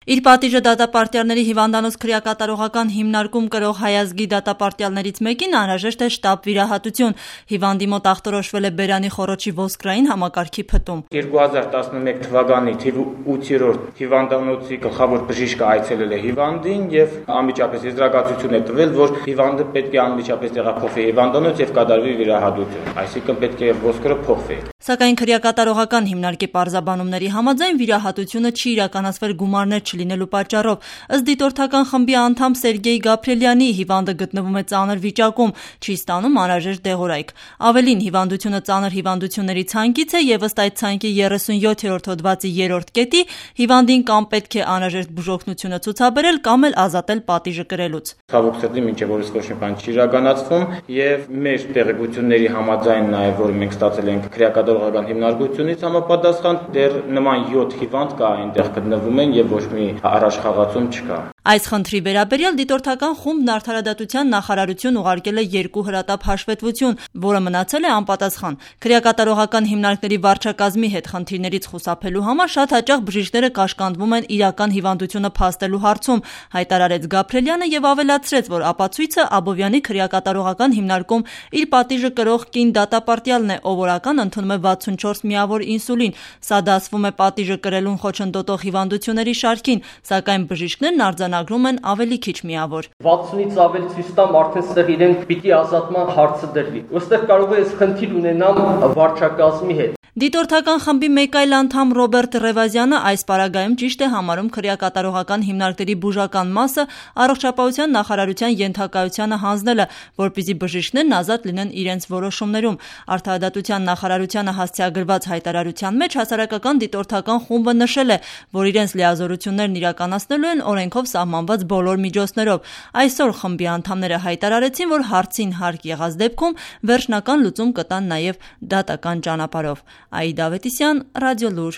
Իր պատիժը դատապարտյալների հիվանդանոց քրեակատարողական հիմնարկում կրող հայազգի դատապարտյալներից մեկին անհրաժեշտ է շտապ վիրահատություն։ Հիվանդի մոտ ախտորոշվել է բերանի խոռոչի ոսկրային համակարգի փտում։ 2011 թվականի թիվ 8-րդ հիվանդանոցի գլխավոր բժիշկը այցելել է հիվանդին եւ անմիջապես եզրակացություն է տվել, որ հիվանդը պետք է անմիջապես տեղափոխվի հիվանդանոց եւ կատարվի վիրահատություն, այսինքն պետք է ոսկրը փոխվի։ Սակայն քրեակատարողական հիմնարկի պարզաբանումների համաձայն վիրահատությունը չի իրականացվել գումարներ չլինելու պատճառով։ Ըստ դիտորդական խմբի անդամ Սերգեյ Գաբրիելյանի, հիվանդը գտնվում է ծանր վիճակում, չի ստանում անհրաժեշտ դեղորայք։ Ավելին, հիվանդությունը ծանր հիվանդությունների ցանկից է եւ ըստ այդ ցանկի 37-րդ հոդվածի 3-րդ կետի հիվանդին կամ պետք է անհրաժեշտ բուժօգնությունը ցուցաբերել կամ էլ ազատել պատիժը կրելուց։ Ցավոք սրտի մինչև օրս ոչ մի բան չի իրականացվում եւ մեր տեղեկությունների համաձայն նաեւ որ մենք ստացել ենք քրեակատարողական հիմնարկությունից համապատասխան դեռ նման 7 հիվանդ կա այնտեղ գտնվում են եւ ոչ մի առաջխաղացում չկա։ Այս խնդրի վերաբերյալ դիտորդական խումբն Արդարադատության նախարարություն ուղարկել է 2 հրատապ հաշվետվություն, որը մնացել է անպատասխան։ Քրեակատարողական հիմնարկների վարչակազմի հետ խնդիրներից խուսափելու համար շատ հաճախ բժիշկները կաշկանդվում են իրական հիվանդությունը փաստելու հարցում, հայտարարեց Գաբրիելյանը եւ ավելացրեց, որ ապացույցը Աբովյանի քրեակատարողական հիմնարկում իր պատիժը կրող կին դատապարտյալն է, ով օրական ընդունում է 64 միավոր ինսուլին։ Սա դասվում է պատիժը կրելուն խոչընդոտող հիվանդությունների շարքին, սակայն բժիշկներն արձանագրում են ավելի քիչ միավոր։ 60-ից ավել ցույց տամ արդեն ստեղ իրեն պիտի ազատման հարցը դրվի։ Ոստեղ կարող է խնդիր ունենամ վարչակազմի հետ։ Դիտորդական խմբի մեկ այլ անդամ Ռոբերտ Ռևազյանը այս պարագայում ճիշտ է համարում քրեակատարողական հիմնարկների բուժական մասը առողջապահության նախարարության ենթակայությանը հանձնելը, որպեսզի բժիշկներն ազատ լինեն իրենց որոշումներում։ Արդարադատության նախարարությանը հասցեագրված հայտարարության մեջ հասարակական դիտորդական խումբը նշել է, որ իրենց լիազորություններն իրականացնելու են օրենքով սահմանված բոլոր միջոցներով։ Այսօր խմբի անդամները հայտարարեցին, որ հարցին հարկ եղած դեպքում վերջնական լուծում կտան նաև դատական ճանապարհով։ Աիդա Ավետիսյան, Ռադիոլուր։